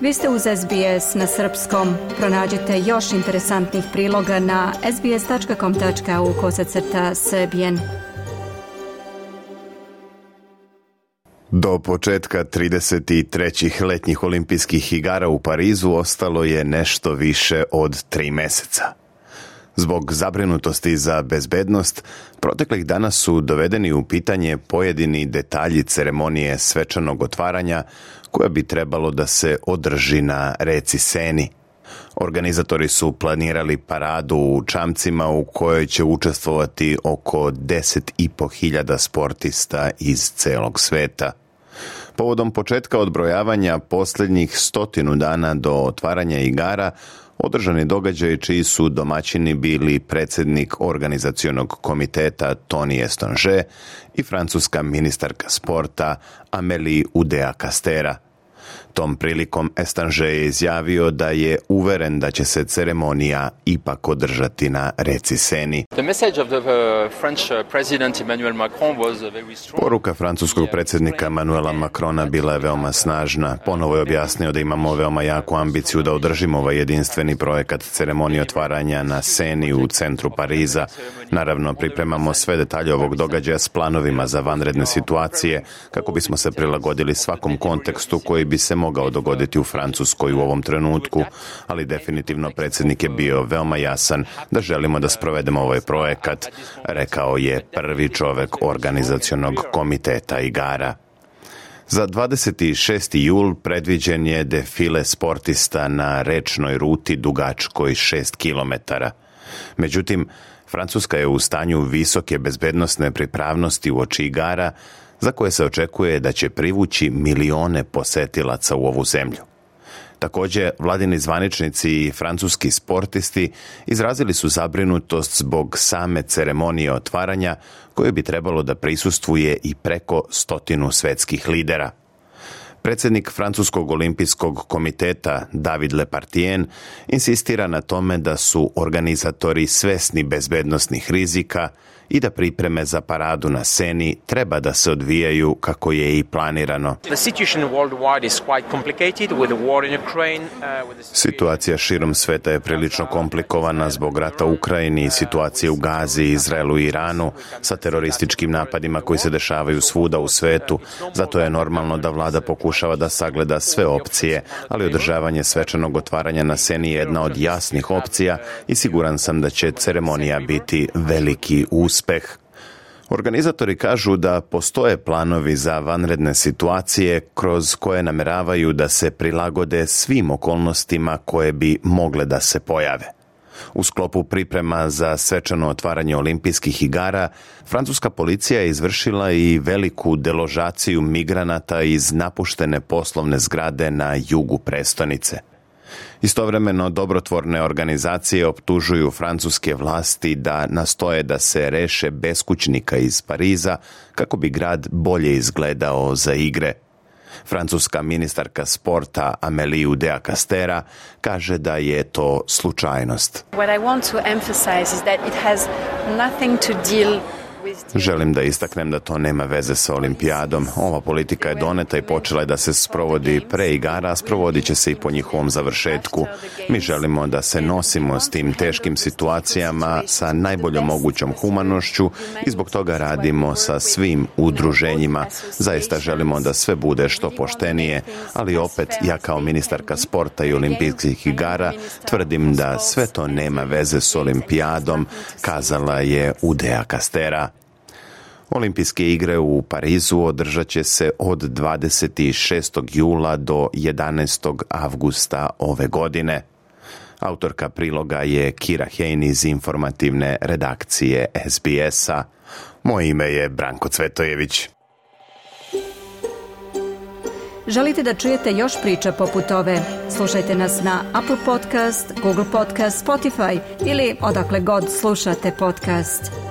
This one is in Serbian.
Vi ste uz SBS na srpskom. Pronađite još interesantnih priloga na sbs.com.au/srbijen. Do početka 33. letnjih olimpijskih igara u Parizu ostalo je nešto više od 3 meseca. Zbog zabrinutosti za bezbednost, proteklih dana su dovedeni u pitanje pojedini detalji ceremonije svečanog otvaranja koja bi trebalo da se održi na reci Seni. Organizatori su planirali paradu u čamcima u kojoj će učestvovati oko 10.500 sportista iz celog sveta. Povodom početka odbrojavanja posljednjih 100 dana do otvaranja igara, održani događaji čiji su domaćini bili predsjednik organizacionog komiteta Tony Estange i francuska ministarka sporta Amélie Oudéa-Castéra. Tom prilikom Estange je izjavio da je uveren da će se ceremonija ipak održati na reci Seni. Poruka francuskog predsjednika Emmanuela Macrona bila je veoma snažna. Ponovo je objasnio da imamo veoma jaku ambiciju da održimo ovaj jedinstveni projekat ceremonije otvaranja na Seni u centru Pariza. Naravno, pripremamo sve detalje ovog događaja s planovima za vanredne situacije kako bismo se prilagodili svakom kontekstu koji bi se mogao dogoditi u Francuskoj u ovom trenutku, ali definitivno predsjednik je bio veoma jasan da želimo da sprovedemo ovaj projekat, rekao je prvi čovek organizacionog komiteta igara. Za 26. jul predviđen je defile sportista na rečnoj ruti dugačkoj 6 kilometara. Međutim, Francuska je u stanju visoke bezbednosne pripravnosti uoči igara, za koje se očekuje da će privući milione posetilaca u ovu zemlju. Također, vladini zvaničnici i francuski sportisti izrazili su zabrinutost zbog same ceremonije otvaranja, koje bi trebalo da prisustvuje i preko 100 svetskih lidera. Predsjednik Francuskog olimpijskog komiteta David Lepartien insistira na tome da su organizatori svesni bezbednosnih rizika i da pripreme za paradu na Seni treba da se odvijaju kako je i planirano. Situacija širom sveta je prilično komplikovana zbog rata u Ukrajini i situacije u Gazi, Izraelu i Iranu sa terorističkim napadima koji se dešavaju svuda u svetu. Zato je normalno da vlada pokušava da sagleda sve opcije, ali održavanje svečanog otvaranja na Seni je jedna od jasnih opcija i siguran sam da će ceremonija biti veliki uspeh. Organizatori kažu da postoje planovi za vanredne situacije kroz koje nameravaju da se prilagode svim okolnostima koje bi mogle da se pojave. U sklopu priprema za svečano otvaranje olimpijskih igara, francuska policija je izvršila i veliku deložaciju migranata iz napuštene poslovne zgrade na jugu prestonice. Istovremeno, dobrotvorne organizacije optužuju francuske vlasti da nastoje da se reše beskućnika iz Pariza kako bi grad bolje izgledao za igre. Francuska ministarka sporta Amélie Oudéa-Castéra kaže da je to slučajnost. Želim da istaknem da to nema veze sa olimpijadom. Ova politika je doneta i počela je da se sprovodi pre igara, a sprovodit će se i po njihovom završetku. Mi želimo da se nosimo s tim teškim situacijama sa najboljom mogućom humanošću i zbog toga radimo sa svim udruženjima. Zaista želimo da sve bude što poštenije, ali opet ja kao ministarka sporta i olimpijskih igara tvrdim da sve to nema veze s olimpijadom, kazala je Oudéa-Castéra. Olimpijske igre u Parizu održat će se od 26. jula do 11. avgusta ove godine. Autorka priloga je Kira Hein iz informativne redakcije SBS-a. Moje ime je Branko Cvetojević. Želite da čujete još priča poput ove? Slušajte nas na Apple Podcast, Google Podcast, Spotify ili odakle god slušate podcast.